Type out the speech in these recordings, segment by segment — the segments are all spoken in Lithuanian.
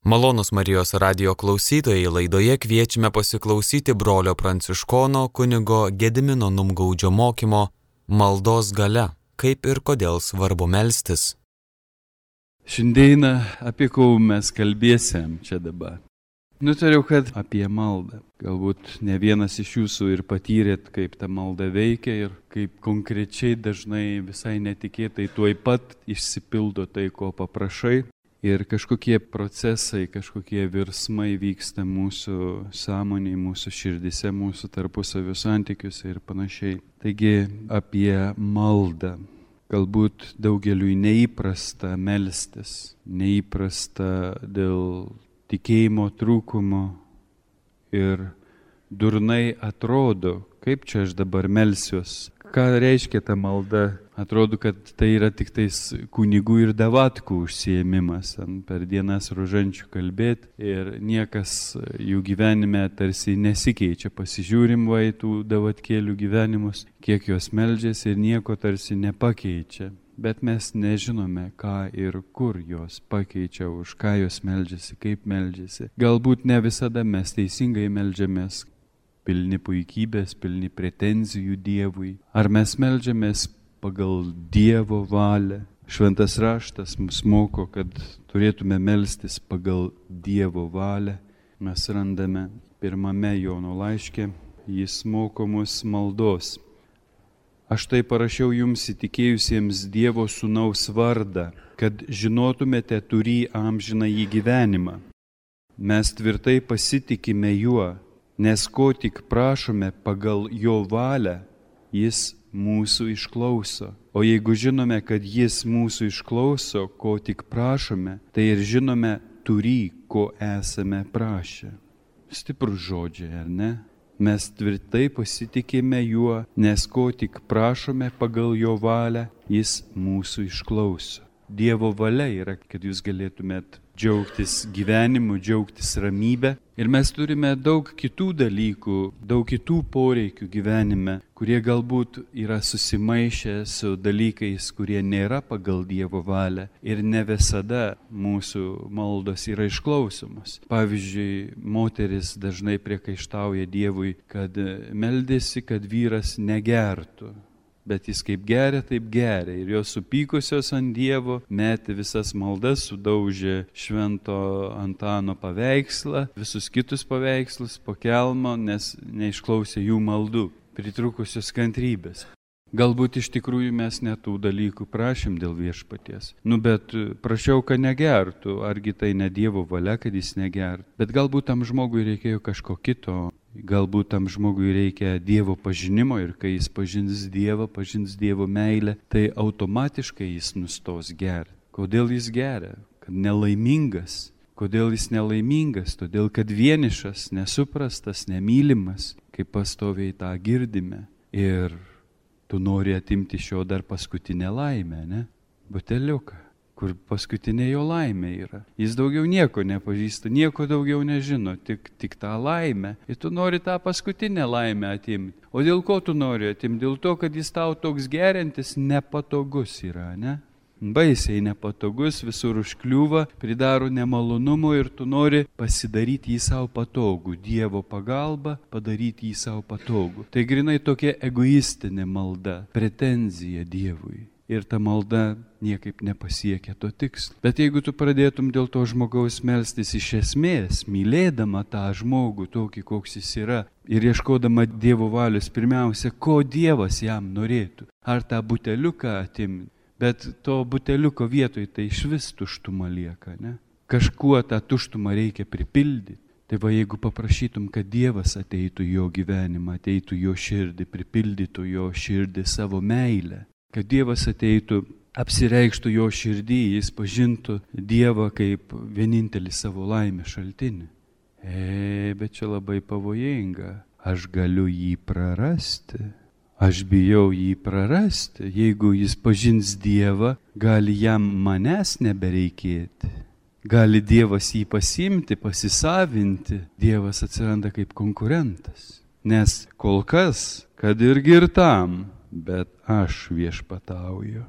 Malonūs Marijos radijo klausytojai, laidoje kviečiame pasiklausyti brolio pranciškono kunigo Gedimino Numgaudžio mokymo Maldos galia, kaip ir kodėl svarbu melstis. Šiandieną apie ką mes kalbėsim čia dabar. Nutariau, kad apie maldą. Galbūt ne vienas iš jūsų ir patyrėt, kaip ta malda veikia ir kaip konkrečiai dažnai visai netikėtai tuoj pat išsipildo tai, ko paprašai. Ir kažkokie procesai, kažkokie virsmai vyksta mūsų sąmonėje, mūsų širdise, mūsų tarpusavio santykiuose ir panašiai. Taigi apie maldą. Galbūt daugeliui neįprasta melstis, neįprasta dėl tikėjimo trūkumo ir durnai atrodo, kaip čia aš dabar melsiuos. Ką reiškia ta malda? Atrodo, kad tai yra tik tais kunigų ir davatkų užsiėmimas, per dienas rožančių kalbėti ir niekas jų gyvenime tarsi nesikeičia. Pasižiūrim va į tų davatkėlių gyvenimus, kiek jos meldžiasi ir nieko tarsi nepakeičia. Bet mes nežinome, ką ir kur jos pakeičia, už ką jos meldžiasi, kaip meldžiasi. Galbūt ne visada mes teisingai meldžiamės, pilni puikybės, pilni pretenzijų Dievui. Ar mes meldžiamės pagal Dievo valią? Šventas raštas mus moko, kad turėtume melstis pagal Dievo valią. Mes randame pirmame Jono laiške, jis moko mus maldos. Aš tai parašiau jums įtikėjusiems Dievo sūnaus vardą, kad žinotumėte turį amžinąjį gyvenimą. Mes tvirtai pasitikime juo, nes ko tik prašome pagal jo valią, jis mūsų išklauso. O jeigu žinome, kad jis mūsų išklauso, ko tik prašome, tai ir žinome turį, ko esame prašę. Stiprus žodžiai, ar ne? Mes tvirtai pasitikime juo, nes ko tik prašome pagal jo valią, jis mūsų išklauso. Dievo valia yra, kad jūs galėtumėt džiaugtis gyvenimu, džiaugtis ramybę. Ir mes turime daug kitų dalykų, daug kitų poreikių gyvenime, kurie galbūt yra susimaišę su dalykais, kurie nėra pagal Dievo valią. Ir ne visada mūsų maldos yra išklausomos. Pavyzdžiui, moteris dažnai priekaištauja Dievui, kad meldėsi, kad vyras negertų. Bet jis kaip geria, taip geria. Ir jos supykusios ant Dievo metė visas maldas, sudaužė Švento Antano paveikslą, visus kitus paveikslus po kelmo, nes neišklausė jų maldų, pritrukusios kantrybės. Galbūt iš tikrųjų mes netų dalykų prašym dėl Viešpaties. Bet prašiau, kad negertų. Argi tai ne Dievo valia, kad jis negertų. Bet galbūt tam žmogui reikėjo kažko kito. Galbūt tam žmogui reikia Dievo pažinimo ir kai jis pažins Dievo meilę, tai automatiškai jis nustos gerti. Kodėl jis geria? Kad nelaimingas. Kodėl jis nelaimingas? Todėl, kad vienišas, nesuprastas, nemylimas, kaip pastoviai tą girdime. Ir tu nori atimti šio dar paskutinę laimę, ne? Buteliuką, kur paskutinė jo laimė yra. Jis daugiau nieko nepažįsta, nieko daugiau nežino, tik tą laimę. Ir tu nori tą paskutinę laimę atimti. O dėl ko tu nori atimti? Dėl to, kad jis tau toks geriantis nepatogus yra, ne? Baisiai nepatogus, visur užkliūva, pridaro nemalonumų ir tu nori pasidaryti jį savo patogų. Dievo pagalba padaryti jį savo patogų. Tai grinai tokia egoistinė malda, pretenzija Dievui. Ir ta malda niekaip nepasiekia to tikslo. Bet jeigu tu pradėtum dėl to žmogaus melstis iš esmės, mylėdama tą žmogų tokį, koks jis yra, ir ieškodama Dievo valios, pirmiausia, ko Dievas jam norėtų, ar tą buteliuką atimti, bet to buteliuko vietoj tai išvis tuštuma lieka, ne? Kažkuo tą tuštumą reikia pripildyti. Tai va, jeigu paprašytum, kad Dievas ateitų į jo gyvenimą, ateitų į jo širdį, pripildytų jo širdį savo meilę, kad Dievas ateitų, apsireikštų jo širdį, jis pažintų Dievą kaip vienintelį savo laimės šaltinį. Bet čia labai pavojinga. Aš galiu jį prarasti. Aš bijau jį prarasti. Jeigu jis pažins Dievą, gali jam manęs nebereikėti. Gali Dievas jį pasiimti, pasisavinti. Dievas atsiranda kaip konkurentas. Nes kol kas, kad ir girtam, bet aš viešpatauju.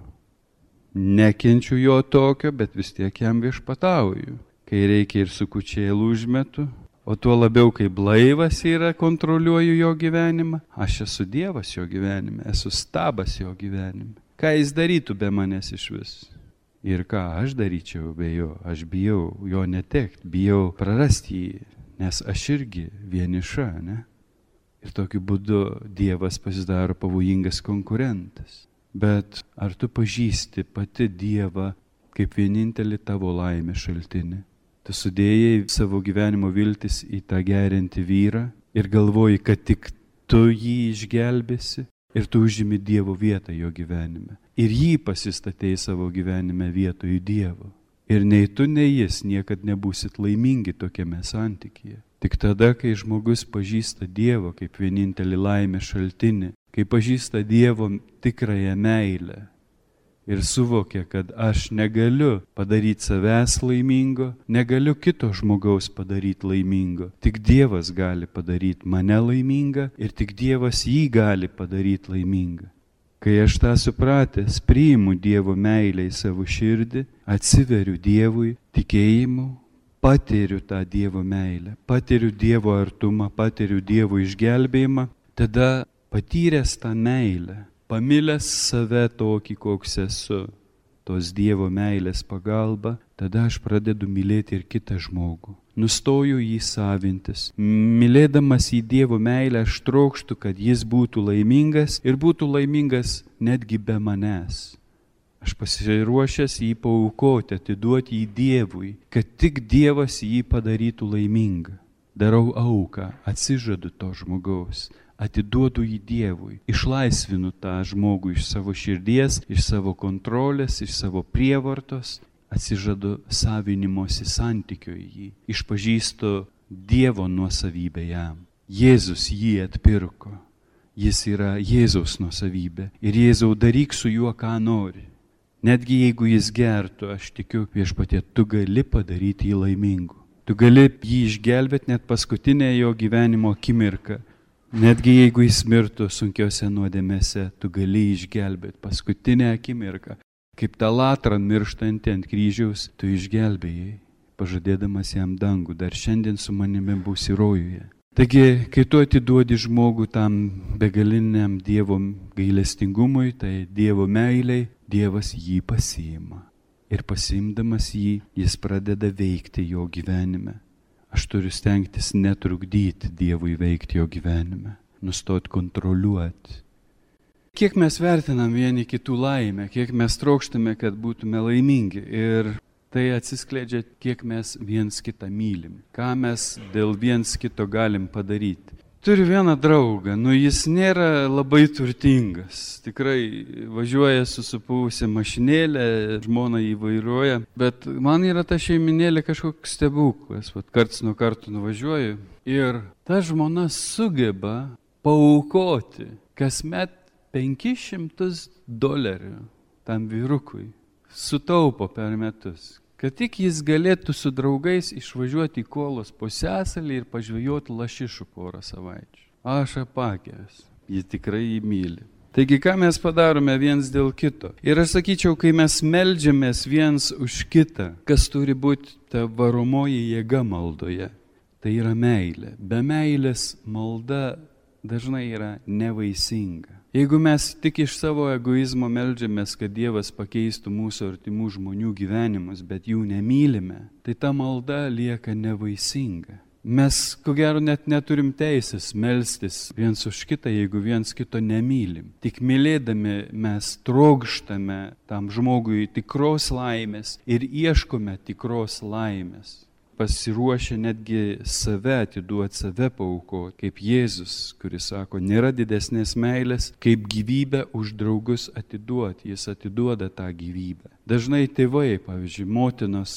Nekenčiu jo tokio, bet vis tiek jam viešpatauju. kai reikia ir su kučėlu užmetu, o tuo labiau, kai blaivas yra, kontroliuoju jo gyvenimą. Aš esu Dievas jo gyvenime, esu stabas jo gyvenime. Ką jis darytų be manęs iš vis? Ir ką aš daryčiau be jo? Aš bijau jo netekti, bijau prarasti jį, nes aš irgi vieniša, ne? Ir tokiu būdu Dievas pasidaro pavojingas konkurentas. Bet ar tu pažįsti pati Dievą kaip vienintelį tavo laimės šaltinį? Tu sudėjai savo gyvenimo viltis į tą geriantį vyrą ir galvoji, kad tik tu jį išgelbėsi ir tu užimi Dievo vietą jo gyvenime. Ir jį pasistatei savo gyvenime vietoj Dievo. Ir nei tu, nei jis niekad nebūsit laimingi tokiame santykyje. Tik tada, kai žmogus pažįsta Dievą kaip vienintelį laimės šaltinį, kai pažįsta Dievo tikrąją meilę ir suvokia, kad aš negaliu padaryti savęs laimingo, negaliu kito žmogaus padaryti laimingo. Tik Dievas gali padaryti mane laimingą ir tik Dievas jį gali padaryti laimingą. Kai aš tą supratęs, priimu Dievo meilę į savo širdį, atsiveriu Dievui tikėjimu, patiriu tą Dievo meilę, patiriu Dievo artumą, patiriu Dievo išgelbėjimą, tada patyręs tą meilę, pamilęs save tokį, koks esu, tos Dievo meilės pagalba, tada aš pradedu mylėti ir kitą žmogų. Nustoju jį savintis. Mylėdamas į Dievo meilę, aš trokštu, kad jis būtų laimingas ir būtų laimingas netgi be manęs. Aš pasiruošęs jį paaukoti, atiduoti jį Dievui, kad tik Dievas jį padarytų laimingą. Darau auką, atsižadu to žmogaus, atiduodu jį Dievui, išlaisvinu tą žmogų iš savo širdies, iš savo kontrolės, iš savo prievartos, atsižadu savinimosi santykio į jį, išpažįstu Dievo nuosavybę jam. Jėzus jį atpirko, jis yra Jėzaus nuosavybė ir Jėzau daryk su juo, ką nori. Netgi jeigu jis gertų, aš tikiu, Viešpatie, tu gali padaryti jį laimingu. Tu gali jį išgelbėti net paskutinę jo gyvenimo akimirką. Netgi jeigu jis mirtų sunkiose nuodėmėse, tu gali išgelbėti paskutinę akimirką. Kaip tą latrą mirštantį ant kryžiaus, tu išgelbėjai, pažadėdamas jam dangų, dar šiandien su manimi būsi rojuje. Taigi, kai tu atiduodi žmogų tam begaliniam Dievo gailestingumui, tai Dievo meiliai, Dievas jį pasiima. Ir pasiimdamas jį, jis pradeda veikti jo gyvenime. Aš turiu stengtis netrukdyti Dievui veikti jo gyvenime, nustoti kontroliuoti. Kiek mes vertinam vieni kitų laimę, kiek mes trokštame, kad būtume laimingi. Ir tai atsiskleidžia, kiek mes viens kitą mylim, ką mes dėl viens kito galim padaryti. Turiu vieną draugą, jis nėra labai turtingas. Tikrai važiuoja su supuvusia mašinėlė, žmona jį vairuoja, bet man yra ta šeiminėlė kažkoks stebuklas. Karts nuo karto nuvažiuoju ir ta žmona sugeba paaukoti kasmet $500 tam vyrukui. Sutaupo per metus, kad tik jis galėtų su draugais išvažiuoti į Kolos pusiasalį ir pažvejoti lašišų porą savaičių. Aš apakęs, jis tikrai jį myli. Taigi, ką mes padarome viens dėl kito? Ir aš sakyčiau, kai mes meldžiamės viens už kitą, kas turi būti ta varomoji jėga maldoje, tai yra meilė. Be meilės malda dažnai yra nevaisinga. Jeigu mes tik iš savo egoizmo meldžiamės, kad Dievas pakeistų mūsų artimų žmonių gyvenimus, bet jų nemylime, tai ta malda lieka nevaisinga. Mes, ko gero, net neturim teisės melstis viens už kitą, jeigu viens kito nemylim. Tik mylėdami mes trokštame tam žmogui tikros laimės ir ieškome tikros laimės. Pasiruošę netgi save atiduoti, save paaukoti, kaip Jėzus, kuris sako, nėra didesnės meilės, kaip gyvybę už draugus atiduoti. Jis atiduoda tą gyvybę. Dažnai tėvai, pavyzdžiui, motinos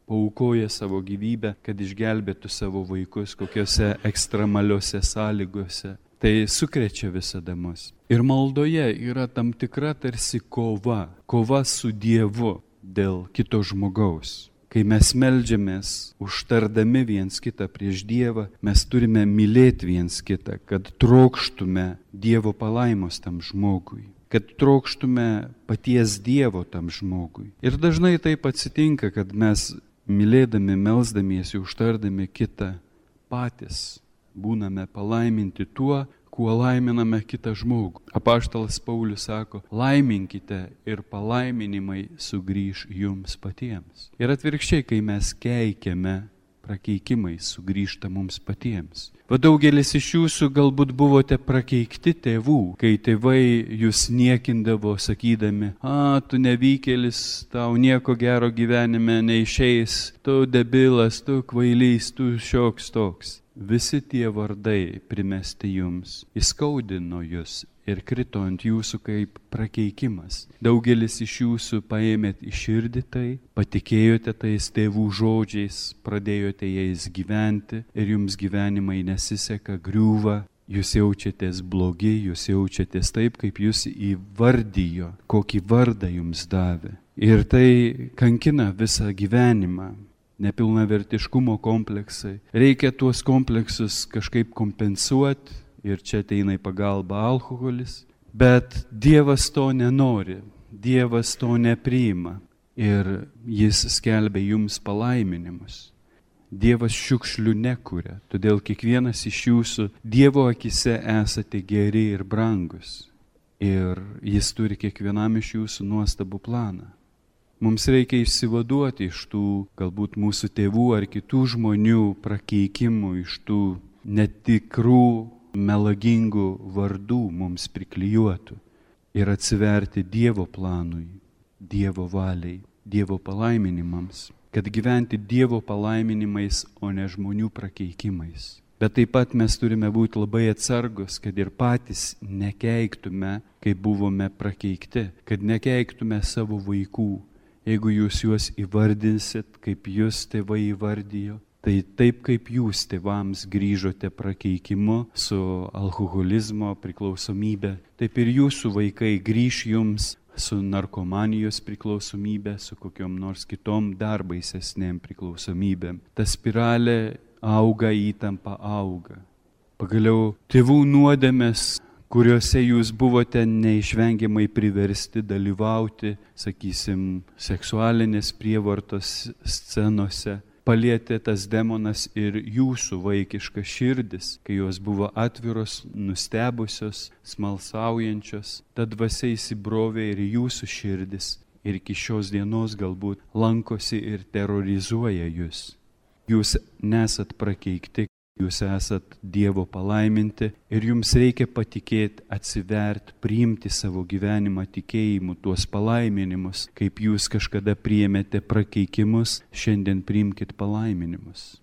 paaukoja savo gyvybę, kad išgelbėtų savo vaikus kokiose ekstremaliuose sąlygose. Tai sukrečia visada mus. Ir maldoje yra tam tikra tarsi kova su Dievu dėl kito žmogaus. Kai mes meldžiamės, užtardami viens kitą prieš Dievą, mes turime mylėti viens kitą, kad trokštume Dievo palaimos tam žmogui, kad trokštume paties Dievo tam žmogui. Ir dažnai taip atsitinka, kad mes mylėdami, melsdamiesi, užtardami kitą, patys būname palaiminti tuo, kuo laiminame kitą žmogų. Apaštalas Paulius sako, laiminkite ir palaiminimai sugrįš jums patiems. Ir atvirkščiai, kai mes keikiame, prakeikimai sugrįžta mums patiems. Va daugelis iš jūsų galbūt buvote prakeikti tėvų, kai tėvai jūs niekindavo sakydami, tu nevykėlis, tau nieko gero gyvenime neišeis, tu debilas, tu kvailys, tu šioks toks. Visi tie vardai primesti jums, įskaudino jūs ir krito ant jūsų kaip prakeikimas. Daugelis iš jūsų paėmėt į širdį tai, patikėjote tais tėvų žodžiais, pradėjote jais gyventi ir jums gyvenimai nesiseka, griūva, jūs jaučiatės blogi, jūs jaučiatės taip, kaip jūs įvardijo, kokį vardą jums davė. Ir tai kankina visą gyvenimą. Nepilnavertiškumo kompleksai. Reikia tuos kompleksus kažkaip kompensuoti ir čia ateina į pagalbą alkoholis. Bet Dievas to nenori, Dievas to nepriima ir Jis skelbia jums palaiminimus. Dievas šiukšlių nekuria, todėl kiekvienas iš jūsų Dievo akise esate geri ir brangus. Ir Jis turi kiekvienam iš jūsų nuostabų planą. Mums reikia išsivaduoti iš tų galbūt mūsų tėvų ar kitų žmonių prakeikimų, iš tų netikrų, melagingų vardų mums priklijuotų ir atsiverti Dievo planui, Dievo valiai, Dievo palaiminimams, kad gyventi Dievo palaiminimais, o ne žmonių prakeikimais. Bet taip pat mes turime būti labai atsargus, kad ir patys nekeiktume, kai buvome prakeikti, kad nekeiktume savo vaikų. Jeigu jūs juos įvardinsit, kaip jūs tėvai įvardijo, tai taip kaip jūs tėvams grįžote prakeikimu su alkoholizmo priklausomybė, taip ir jūsų vaikai grįš jums su narkomanijos priklausomybė, su kokiom nors kitom dar baisesnėm priklausomybėm. Ta spiralė auga, įtampa auga. Pagaliau tėvų nuodėmės, kuriuose jūs buvote neišvengiamai priversti dalyvauti, sakysim, seksualinės prievartos scenose, palietė tas demonas ir jūsų vaikiškas širdis, kai jos buvo atviros, nustebusios, smalsaujančios, ta dvasia įsibrovė ir jūsų širdis ir iki šios dienos galbūt lankosi ir terrorizuoja jūs. Jūs nesat prakeikti. Jūs esat Dievo palaiminti ir jums reikia patikėti, atsiverti, priimti savo gyvenimą tikėjimu tuos palaiminimus, kaip jūs kažkada priėmėte prakeikimus, šiandien priimkite palaiminimus.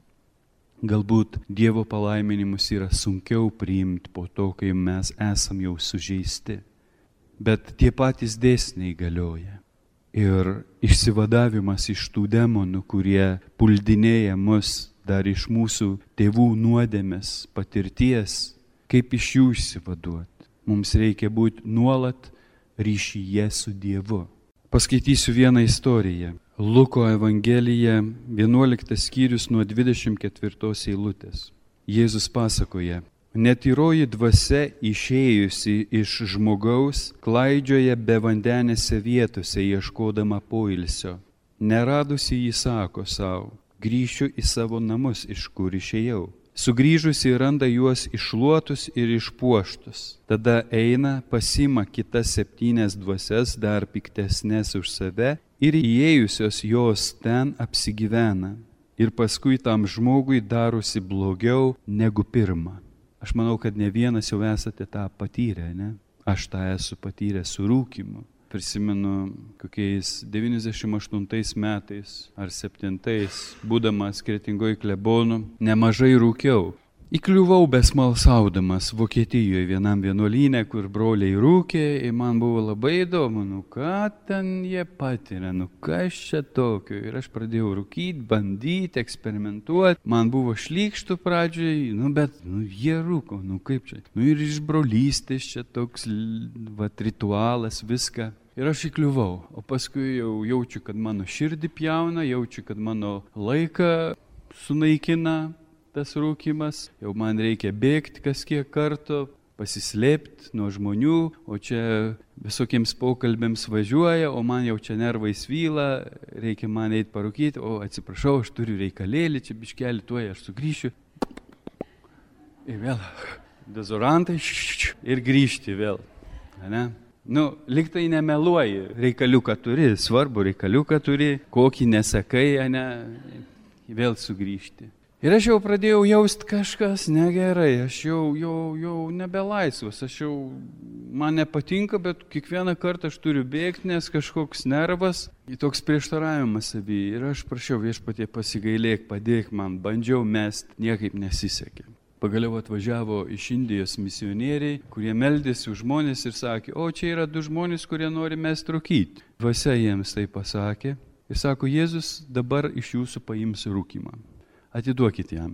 Galbūt Dievo palaiminimus yra sunkiau priimti po to, kai mes esam jau sužeisti, bet tie patys dėsniai galioja. Ir išsivadavimas iš tų demonų, kurie puldinėja mus, dar iš mūsų tėvų nuodėmės patirties, kaip iš jų išsivaduoti. Mums reikia būti nuolat ryšyje su Dievu. Paskaitysiu vieną istoriją. Luko Evangelija, 11 skyrius nuo 24 eilutės. Jėzus pasakoja, netyroji dvasia išėjusi iš žmogaus, klaidžioja bevandenėse vietose ieškodama poilsio. Neradusi jį sako savo, grįšiu į savo namus, iš kur išėjau. Sugrįžusi randa juos iššluotus ir išpuoštus. Tada eina, pasima kitas 7 dvasias, dar piktesnės už save, ir įėjusios jos ten apsigyvena. Ir paskui tam žmogui darosi blogiau negu pirma. Aš manau, kad ne vienas jau esate tą patyrę, ne? Aš tą esu patyręs su rūkymu. Prisimenu, kokiais 98 metais ar 7, būdamas Kretingoj klebonu, nemažai rūkiau. Įkliuvau besmalsaudamas Vokietijoje vienam vienuolyne, kur broliai rūkė, ir man buvo labai įdomu, ką ten jie patiria, kas čia tokio. Ir aš pradėjau rūkyti, bandyti, eksperimentuoti. Man buvo šlykštų pradžiai, bet jie rūko, kaip čia. Ir iš brolystės čia toks ritualas, viską. Ir aš įkliuvau, o paskui jau jaučiu, kad mano širdį pjauna, jaučiu, kad mano laiką sunaikina tas rūkimas, jau man reikia bėgti kas kiek kartų, pasislėpti nuo žmonių, o čia visokiems pokalbėms važiuoja, o man jau čia nervai svyla, reikia man eiti parūkyti, o atsiprašau, aš turiu reikalėlį, čia biškelį, tuoj aš sugrįšiu. Ir vėl dezorantai ir grįžti vėl. Ne? Lyg tai nemeluoji, reikaliuką turi, svarbu reikaliuką turi, kokį nesakai, ne, vėl sugrįžti. Ir aš jau pradėjau jausti kažkas negerai, aš jau nebelaisvas, man nepatinka, bet kiekvieną kartą aš turiu bėgti, nes kažkoks nervas, toks prieštaravimas savyje. Ir aš prašiau Viešpatie pasigailėk, padėk man, bandžiau mest, niekaip nesisekė. Pagaliau atvažiavo iš Indijos misionieriai, kurie meldėsi už žmonės ir sakė, o čia yra 2 žmonės, kurie nori mest rūkyti. Dvasia jiems tai pasakė ir sako, Jėzus dabar iš jūsų paims rūkymą. Atiduokit jam.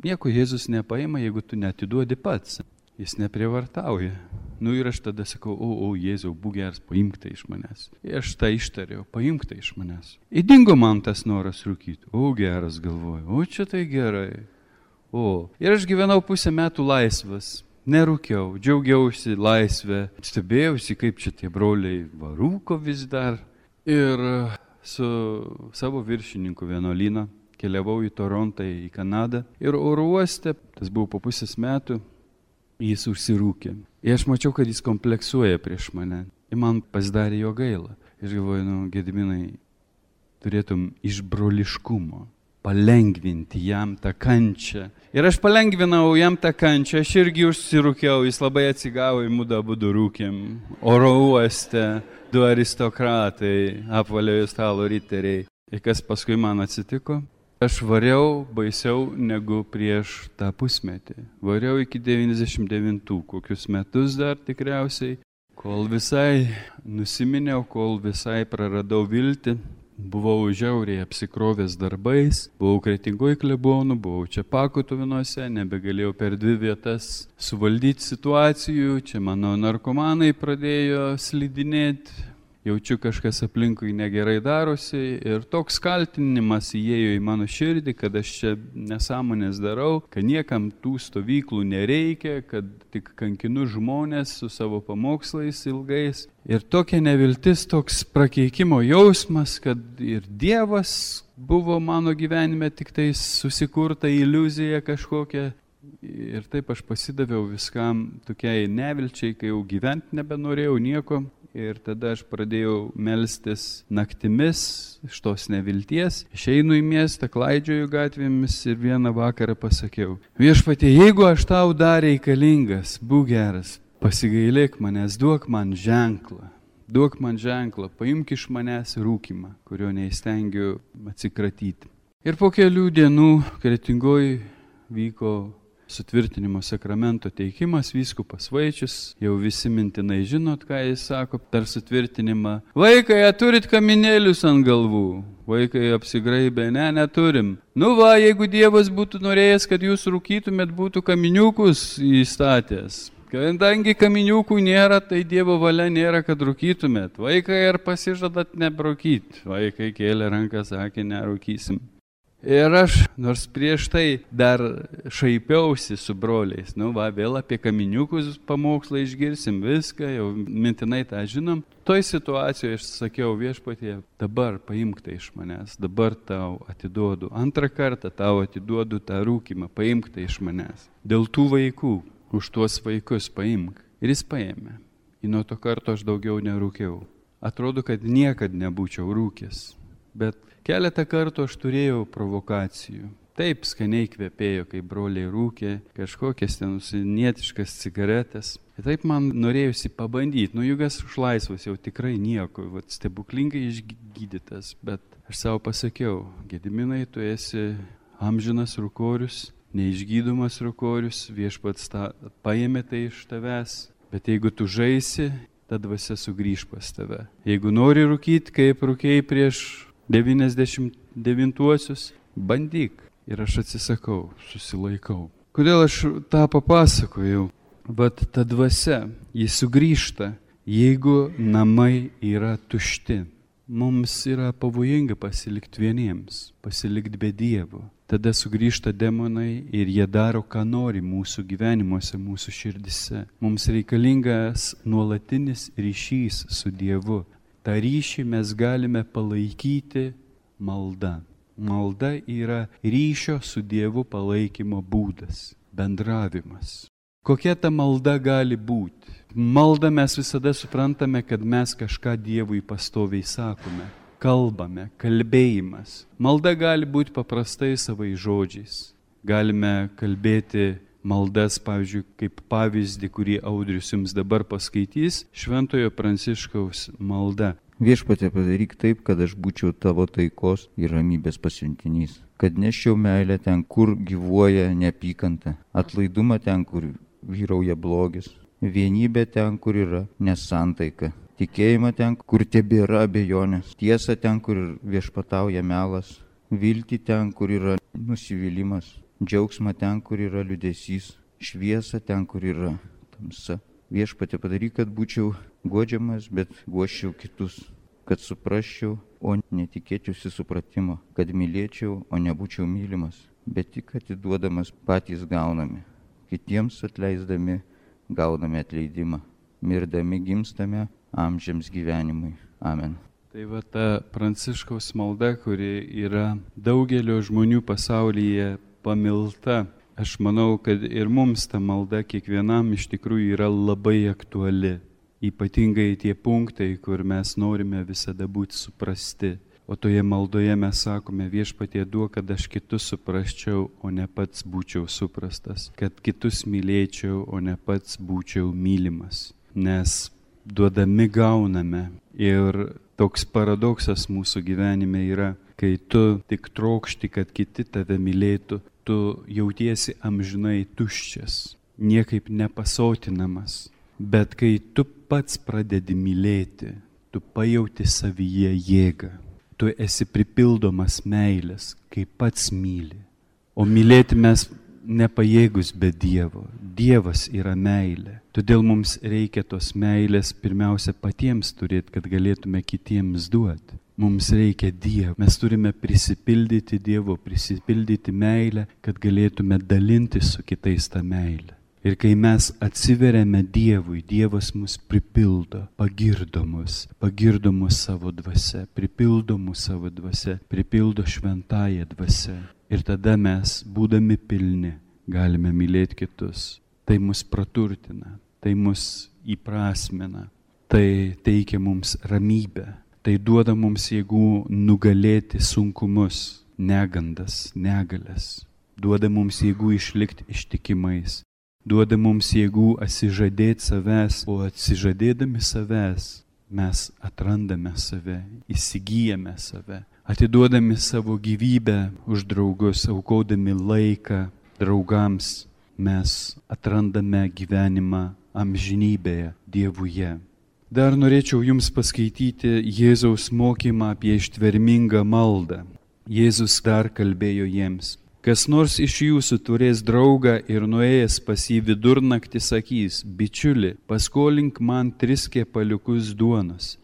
Nieko Jėzus nepaima, jeigu tu neatiduodi pats. Jis neprievartauja. Ir aš tada sakau, o Jėzau, būk geras, paimk tai iš manęs. Ir aš tą ištariau, paimk tai iš manęs. Įdingo man tas noras rūkyti. O geras, galvoju, o čia tai gerai. Ir aš gyvenau 5 metų laisvas. Nerūkiau, džiaugiausi laisvę, stebėjausi, kaip čia tie broliai varūko vis dar. Ir su savo viršininku vienuolyną keliavau į Torontą, į Kanadą. Ir oro uoste, tas buvo po 5 metų, jis užsirūkė. Ir aš mačiau, kad jis kompleksuoja prieš mane. Ir man pasidarė jo gaila. Ir galvoju, Gediminai, turėtum iš broliškumo palengvinti jam tą kančią. Ir aš palengvinau jam tą kančią, aš irgi užsirūkiau, jis labai atsigavo, mudu abudu rūkėm. Oro uoste 2 aristokratai, apvaliojo stalo riteriai. Ir kas paskui man atsitiko? Aš variau baisiau negu prieš tą pusmetį. Variau iki 99, kokius metus dar tikriausiai, kol visai nusiminiau, kol visai praradau viltį. Buvau žiauriai apsikrovęs darbais, buvau Kretingoj klebonu, buvau čia Pakotuvinuose, nebegalėjau per 2 vietas suvaldyti situacijų, čia mano narkomanai pradėjo slidinėti. Jaučiu, kažkas aplinkui negerai darosi ir toks kaltinimas įėjo į mano širdį, kad aš čia nesąmonės darau, kad niekam tų stovyklų nereikia, kad tik kankinu žmonės su savo pamokslais ilgais. Ir tokia neviltis, toks prakeikimo jausmas, kad ir Dievas buvo mano gyvenime tik tai susikurta iliuzija kažkokia. Ir taip aš pasidaviau viskam tokiai nevilčiai, kai jau gyventi nebenorėjau nieko. Ir tada aš pradėjau melstis naktimis iš tos nevilties. Išeinu į miestą, klaidžioju gatvėmis ir vieną vakarą pasakiau, Viešpatie, jeigu aš tau dar reikalingas, būk geras, pasigailėk manęs, duok man ženklą, paimk iš manęs rūkymą, kurio neįstengiu atsikratyti. Ir po kelių dienų Kretingoj vyko sutvirtinimo sakramento teikimas, vyskupas Vaičius, jau visi mintinai žinot, ką jis sako per sutvirtinimą. Vaikai, turit kaminėlius ant galvų? Vaikai apsigraibė, neturim. Jeigu Dievas būtų norėjęs, kad jūs rūkytumėt, būtų kaminiukus įstatęs. Kadangi kaminiukų nėra, tai Dievo valia nėra, kad rūkytumėt. Vaikai, ar pasižadat nebrūkyti? Vaikai kėlė ranką, sakė, nerūkysim. Ir aš, nors prieš tai dar šaipiausi su broliais, vėl apie kaminiukus pamokslą išgirsim, viską, jau mintinai tą žinom. Toj situacijoje aš sakiau, Viešpatie, dabar paimk tai iš manęs, dabar tau atiduodu, 2 kartą tau atiduodu tą rūkymą, paimk tai iš manęs. Dėl tų vaikų, už tuos vaikus paimk. Ir jis paėmė. Ir nuo to karto aš daugiau nerūkiau. Atrodo, kad niekad nebūčiau rūkęs, bet keletą kartų aš turėjau provokacijų. Taip skaniai kvepėjo, kai broliai rūkė, kažkokias ten užsienietiškas cigaretės. Ir taip man norėjusi pabandyti. Juk aš laisvas jau tikrai nieko, stebuklingai išgydytas. Bet aš savo pasakiau, Gediminai, tu esi amžinas rūkorius, neišgydomas rūkorius, Viešpats paėmė tai iš tavęs. Bet jeigu tu žaisi, ta dvasia sugrįž pas tave. Jeigu nori rūkyti, kaip rūkėjai prieš 99-uosius, bandyk. Ir aš atsisakau, susilaikau. Kodėl aš tą papasakojau? Vat ta dvasia, jis sugrįžta, jeigu namai yra tušti. mums yra pavojinga pasilikti vieniems, pasilikti be Dievo. Tada sugrįžta demonai ir jie daro, ką nori mūsų gyvenimuose, mūsų širdise. Mums reikalingas nuolatinis ryšys su Dievu. Ta ryšį mes galime palaikyti malda. Malda yra ryšio su Dievu palaikymo būdas, bendravimas. Kokia ta malda gali būti? Malda mes visada suprantame, kad mes kažką Dievui pastoviai sakome. Kalbame, kalbėjimas. Malda gali būti paprastai savais žodžiais. Galime kalbėti maldas, pavyzdžiui, kaip pavyzdį, kurį Audrius jums dabar paskaitys, Šventojo Pranciškaus malda. Viešpatie, padaryk taip, kad aš būčiau tavo taikos ir ramybės pasiuntinys. Kad neščiau meilę ten, kur gyvuoja neapykanta, atlaidumą ten, kur vyrauja blogis, vienybę ten, kur yra nesantaika. Tikėjimą ten, kur tebėra abejonės, tiesą ten, kur viešpatauja melas, viltį ten, kur yra nusivylimas, džiaugsmą ten, kur yra liūdesys, šviesą ten, kur yra tamsa. Viešpatie, padaryk, kad būčiau guodžiamas, bet guosčiau kitus, kad suprasčiau, o netikėčiausi supratimo, kad mylėčiau, o nebūčiau mylimas, bet tik atiduodamas patys gauname, kitiems atleisdami gauname atleidimą, mirdami gimstame amžiams gyvenimui. Amen. Tai va ta Pranciškaus malda, kuri yra daugelio žmonių pasaulyje pamilta. Aš manau, kad ir mums ta malda kiekvienam iš tikrųjų yra labai aktuali. Ypatingai tie punktai, kur mes norime visada būti suprasti. O toje maldoje mes sakome, Viešpatie duok, kad aš kitus suprasčiau, o ne pats būčiau suprastas. Kad kitus mylėčiau, o ne pats būčiau mylimas. Nes duodami gauname. Ir toks paradoksas mūsų gyvenime yra, kai tu tik trokšti, kad kiti tave mylėtų, tu jautiesi amžinai tuščias, niekaip nepasotinamas. Bet kai tu pats pradedi mylėti, tu pajauti savyje jėgą. Tu esi pripildomas meilės, kai pats myli. O mylėti mes nepajėgus be Dievo. Dievas yra meilė. Todėl mums reikia tos meilės pirmiausia patiems turėti, kad galėtume kitiems duoti. Mums reikia Dievo. Mes turime prisipildyti Dievo, prisipildyti meilę, kad galėtume dalintis su kitais tą meilę. Ir kai mes atsiveriame Dievui, Dievas mus pripildo, pagirdo mus savo dvasia, pripildo mus savo dvasia, pripildo šventąją dvasia. Ir tada mes, būdami pilni, galime mylėti kitus. Tai mus praturtina, tai mus įprasmina, tai teikia mums ramybę, tai duoda mums jėgų nugalėti sunkumus, negandas, negalias, duoda mums jėgų išlikti ištikimais. Duoda mums jėgų atsižadėti savęs, o atsižadėdami savęs mes atrandame save, įsigyjame save, atiduodami savo gyvybę už draugus, aukodami laiką draugams, mes atrandame gyvenimą amžinybėje Dievuje. Dar norėčiau jums paskaityti Jėzaus mokymą apie ištvermingą maldą. Jėzus dar kalbėjo jiems. Kas nors iš jūsų turės draugą ir nuėjęs pas jį vidurnaktį sakys, bičiuli, paskolink man 3 kepaliukus duonos,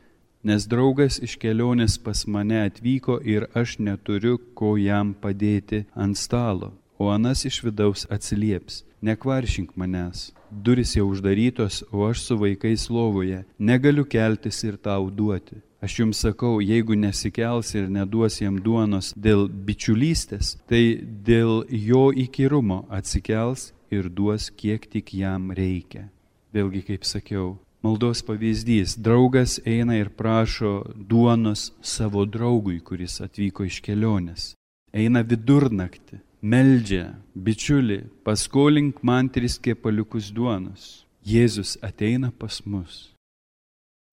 nes draugas iš kelionės pas mane atvyko ir aš neturiu, ko jam padėti ant stalo. O anas iš vidaus atsilieps, nekvaršink manęs, durys jau uždarytos, o aš su vaikais lovoje, negaliu keltis ir tau duoti. Aš jums sakau, jeigu nesikels ir neduos jam duonos dėl bičiulystės, tai dėl jo įkyrumo atsikels ir duos, kiek tik jam reikia. Vėlgi, kaip sakiau, maldos pavyzdys. Draugas eina ir prašo duonos savo draugui, kuris atvyko iš kelionės. Eina vidurnaktį, meldžia, bičiuli, paskolink man 3 kepaliukus duonos. Jėzus ateina pas mus.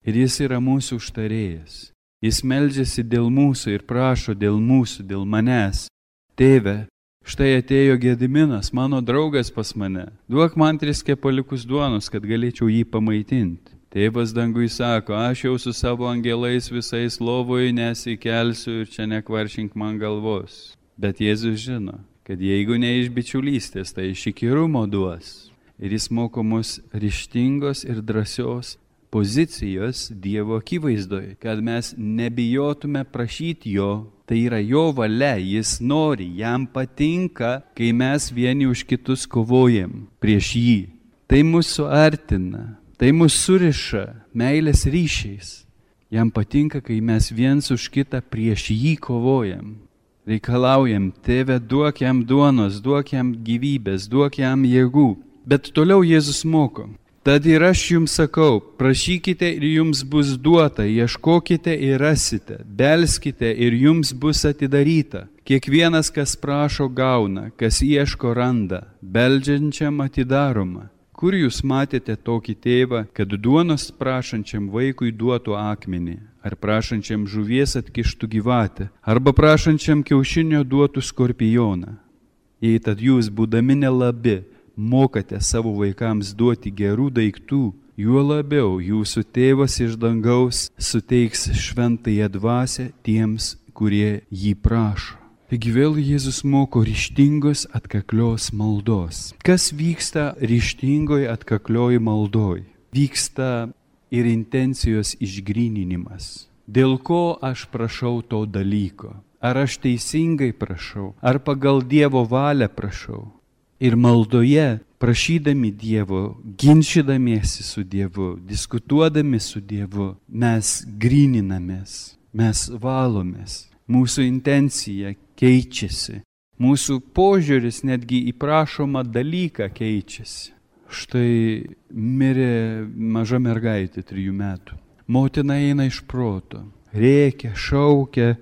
Ir jis yra mūsų užtarėjas. Jis meldžiasi dėl mūsų ir prašo dėl mūsų, dėl manęs. Tėve, štai atėjo Gediminas, mano draugas pas mane. Duok man 3 kepaliukus duonos, kad galėčiau jį pamaitinti. Tėvas dangui sako, aš jau su savo angelais visais lovoje nesikelsiu ir čia nekvaršink man galvos. Bet Jėzus žino, kad jeigu ne iš bičiulystės, tai iš įkyrumo duos. Ir jis moko mus ryžtingos ir drąsios pozicijos Dievo akivaizdoje, kad mes nebijotume prašyti jo. Tai yra jo valia, jis nori, jam patinka, kai mes vieni už kitus kovojam prieš jį. Tai mūsų artina, tai mūsų suriša meilės ryšiais. Jam patinka, kai mes viens už kitą prieš jį kovojam. Reikalaujam, Tėve, duok jam duonos, duok jam gyvybės, duok jam jėgų. Bet toliau Jėzus moko. Tad ir aš jums sakau, prašykite ir jums bus duota, ieškokite ir rasite, belskite ir jums bus atidaryta. Kiekvienas, kas prašo, gauna, kas ieško, randa, beldžiančiam atidaroma. Kur jūs matėte tokį tėvą, kad duonos prašančiam vaikui duotų akmenį, ar prašančiam žuvies atkištų gyvatę, arba prašančiam kiaušinio duotų skorpioną? Jei tad jūs, būdami nelabi, mokate savo vaikams duoti gerų daiktų, juo labiau jūsų tėvas iš dangaus suteiks šventąją dvasią tiems, kurie jį prašo. Taigi vėl Jėzus moko ryžtingos atkaklios maldos. Kas vyksta ryžtingoj atkaklioj maldoj? Vyksta ir intencijos išgryninimas. Dėl ko aš prašau to dalyko? Ar aš teisingai prašau? Ar pagal Dievo valią prašau? Ir maldoje, prašydami Dievo, ginčydamiesi su Dievu, diskutuodami su Dievu, mes gryninamės, mes valomės, mūsų intencija keičiasi, mūsų požiūris netgi į prašomą dalyką keičiasi. Štai mirė maža mergaitė 3 metų. Motina eina iš proto, rėkia, šaukia,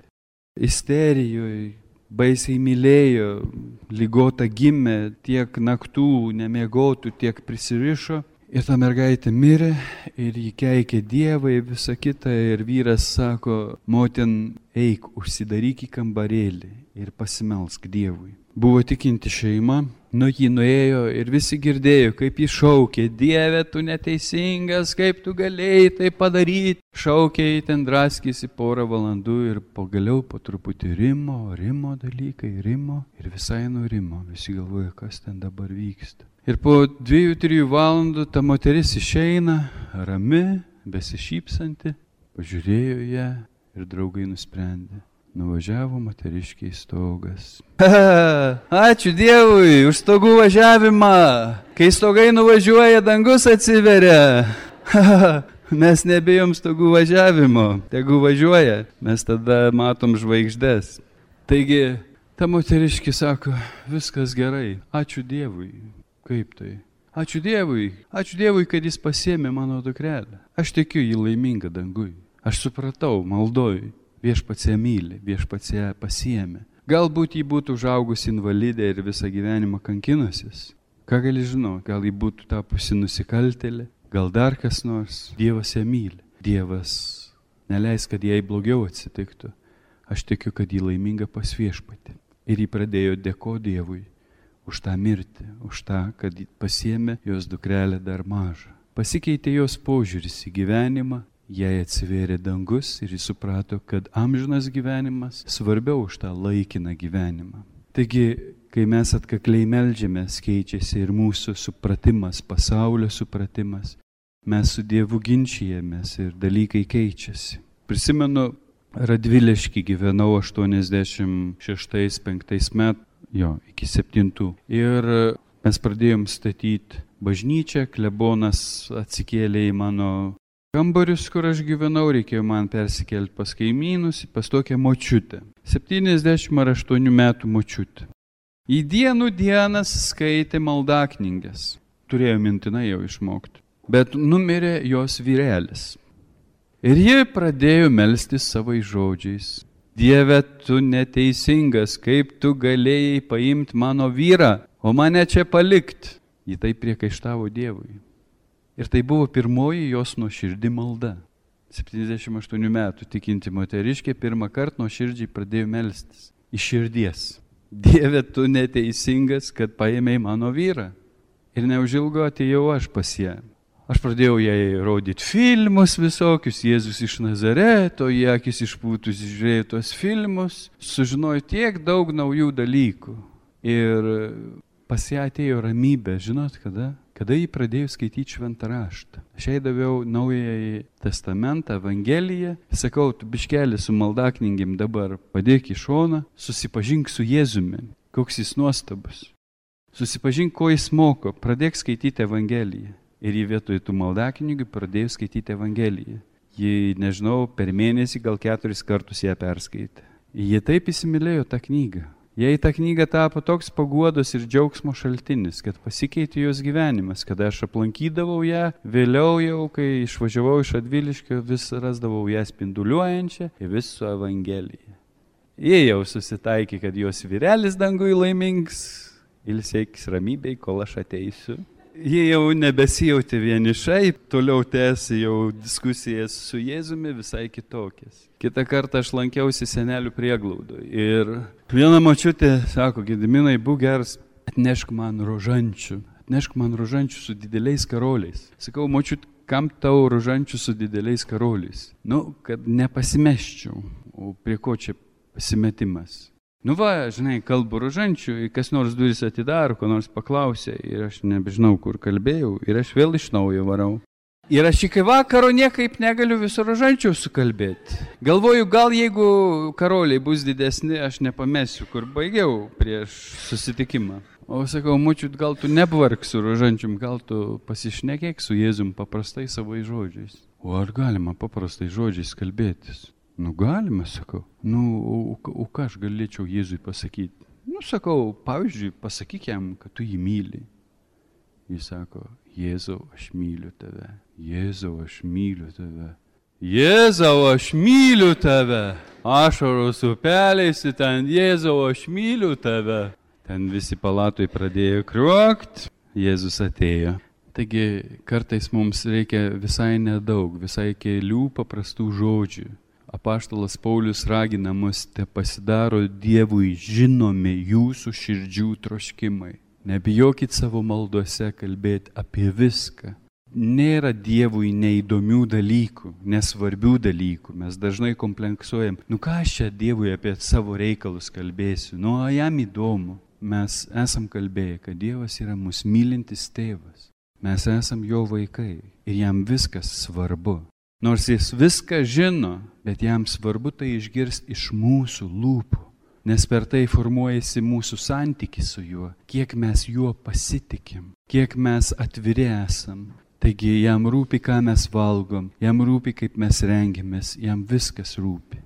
isterijoje. Baisiai mylėjo, ligota gimė, tiek naktų nemiegotų, tiek prisirišo. Ir ta mergaitė mirė ir jį keikė Dievą ir visą kitą. Ir vyras sako, motin, eik, užsidaryk į kambarėlį ir pasimelsk Dievui. Buvo tikinti šeima, jį nuėjo ir visi girdėjo, kaip jį šaukė, Dieve, tu neteisingas, kaip tu galėjai tai padaryti. Šaukė, ten draskėsi porą valandų ir pagaliau po truputį rimo dalykai, ir visai nurimo. Visi galvoja, kas ten dabar vyksta. Ir po 2-3 valandų ta moteris išeina, rami, besišypsanti, pažiūrėjo ją ir draugai nusprendė. Nuvažiavo moteriškiai stogas. Ačiū Dievui už stogų važiavimą. Kai stogai nuvažiuoja, dangus atsiveria. Mes nebijom stogų važiavimo. Tegu važiuoja, mes tada matom žvaigždes. Taigi, ta moteriškė sako, viskas gerai. Ačiū Dievui. Kaip tai? Ačiū Dievui, kad jis pasiėmė mano dukrelę. Aš tikiu jį laimingą dangui. Aš supratau, maldoj. Viešpats ją myli, viešpats ją pasiėmė. Galbūt jį būtų užaugusi invalidė ir visą gyvenimą kankinusis. Ką gali žinoti, gal jį būtų tapusi nusikaltėlė, gal dar kas nors. Dievas ją myli. Dievas neleis, kad jai blogiau atsitiktų. Aš tikiu, kad jį laiminga pas viešpatį. Ir jį pradėjo dėkoti Dievui už tą mirtį, už tą, kad pasiėmė jos dukrelę dar mažą. Pasikeitė jos požiūris į gyvenimą. Jai atsivėrė dangus ir jis suprato, kad amžinas gyvenimas svarbiau už tą laikiną gyvenimą. Taigi, kai mes atkakliai meldžiamės, keičiasi ir mūsų supratimas, pasaulio supratimas. Mes su Dievu ginčijamės ir dalykai keičiasi. Prisimenu, Radviliškį gyvenau 86-5 metų, iki 7. Ir mes pradėjom statyti bažnyčią, klebonas atsikėlė į mano kambarius, kur aš gyvenau, reikėjo man persikelti pas kaimynus, pas tokią močiutę. 70 ar 8 metų močiutę. Į dienas skaitė maldaknyges. Turėjo mintinai jau išmokti. Bet numirė jos vyrelis. Ir ji pradėjo melstis savais žodžiais. Dieve, tu neteisingas, kaip tu galėjai paimti mano vyrą, o mane čia palikti. Ji taip priekaištavo Dievui. Ir tai buvo pirmoji jos nuoširdi malda. 78 metų tikinti moteriškė pirmą kartą nuoširdžiai pradėjo melstis. Iš širdies. Dieve, tu neteisingas, kad paėmei mano vyrą. Ir neužilgo atėjau aš pas ją. Aš pradėjau jai rodyti filmus visokius, Jėzus iš Nazareto, jie akis išpūtus žiūrėjo tuos filmus, sužinojo tiek daug naujų dalykų. Ir pas ją atėjo ramybė, žinot kada? kada jį pradėjo skaityti šventą raštą. Aš jai daviau Naująjį testamentą, Evangeliją, sakau, tu biškelį su maldaknygim dabar padėk į šoną, susipažink su Jėzumi, koks jis nuostabus. Susipažink, ko jis moko, pradėk skaityti Evangeliją. Ir jį vietoj tų maldaknygių pradėjo skaityti Evangeliją. Ji, nežinau, per mėnesį gal 4 kartus ją perskaitė. Ji taip įsimylėjo tą knygą. Jai ta knyga tapo toks paguodos ir džiaugsmo šaltinis, kad pasikeitė jos gyvenimas. Kada aš aplankydavau ją, vėliau jau, kai išvažiavau iš Radviliškio, vis rasdavau ją spinduliuojančią ir vis su Evangelija. Jie jau susitaikė, kad jos vyrelis dangui laimings, ilsėkis ramybėj, kol aš ateisiu. Jie jau nebesijautė vienišai, toliau tęsė jau diskusijas su Jėzumi visai kitokias. Kitą kartą aš lankiausi senelių prieglaudoje ir viena močiutė sako, Gediminai, būk geras, atnešk man rožančių su dideliais karoliais. Sakau, močiut, kam tau rožančių su dideliais karoliais? Kad nepasimeščiau, o prie ko čia pasimetimas? Žinai, kalbu rožančių, kas nors duris atidaro, ko nors paklausė ir aš nebežinau, kur kalbėjau ir aš vėl iš naujo varau. Ir aš iki vakaro niekaip negaliu viso rožančių sukalbėti. Galvoju, gal jeigu karoliai bus didesni, aš nepamesiu, kur baigiau prieš susitikimą. O sakau, močiut, gal tu nevark su rožančium, gal tu pasišnekėk su Jėzum paprastai savais žodžiais. O ar galima paprastai žodžiais kalbėtis? Galima, sakau. O ką aš galėčiau Jėzui pasakyti? Sakau, pavyzdžiui, pasakyk jam, kad tu jį myli. Jis sako, Jėzau, aš myliu tave. Jėzau, aš myliu tave. Jėzau, aš myliu tave. Ašaros upeliais, ten Jėzau, aš myliu tave. Ten visi palatoj pradėjo kriuokt. Jėzus atėjo. Taigi, kartais mums reikia visai nedaug, visai kelių paprastų žodžių. Apaštalas Paulius ragina mus, te pasidaro Dievui žinomi jūsų širdžių troškimai. Nebijokit savo maldose kalbėti apie viską. Nėra Dievui neįdomių dalykų, nesvarbių dalykų. Mes dažnai kompleksuojam, ką aš čia Dievui apie savo reikalus kalbėsiu, jam įdomu. Mes esam kalbėję, kad Dievas yra mus mylintis tėvas. Mes esam jo vaikai ir jam viskas svarbu. Nors jis viską žino, bet jam svarbu tai išgirsti iš mūsų lūpų, nes per tai formuojasi mūsų santykis su juo, kiek mes juo pasitikim, kiek mes atviri esam. Taigi jam rūpi, ką mes valgom, jam rūpi, kaip mes rengiamės, jam viskas rūpi.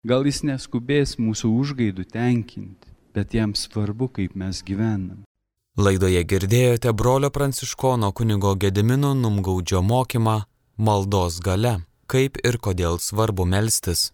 Gal jis neskubės mūsų užgaidų tenkinti, bet jam svarbu, kaip mes gyvenam. Laidoje girdėjote brolio pranciškono kunigo Gedimino Numgaudžio mokymą Maldos galia, kaip ir kodėl svarbu melstis.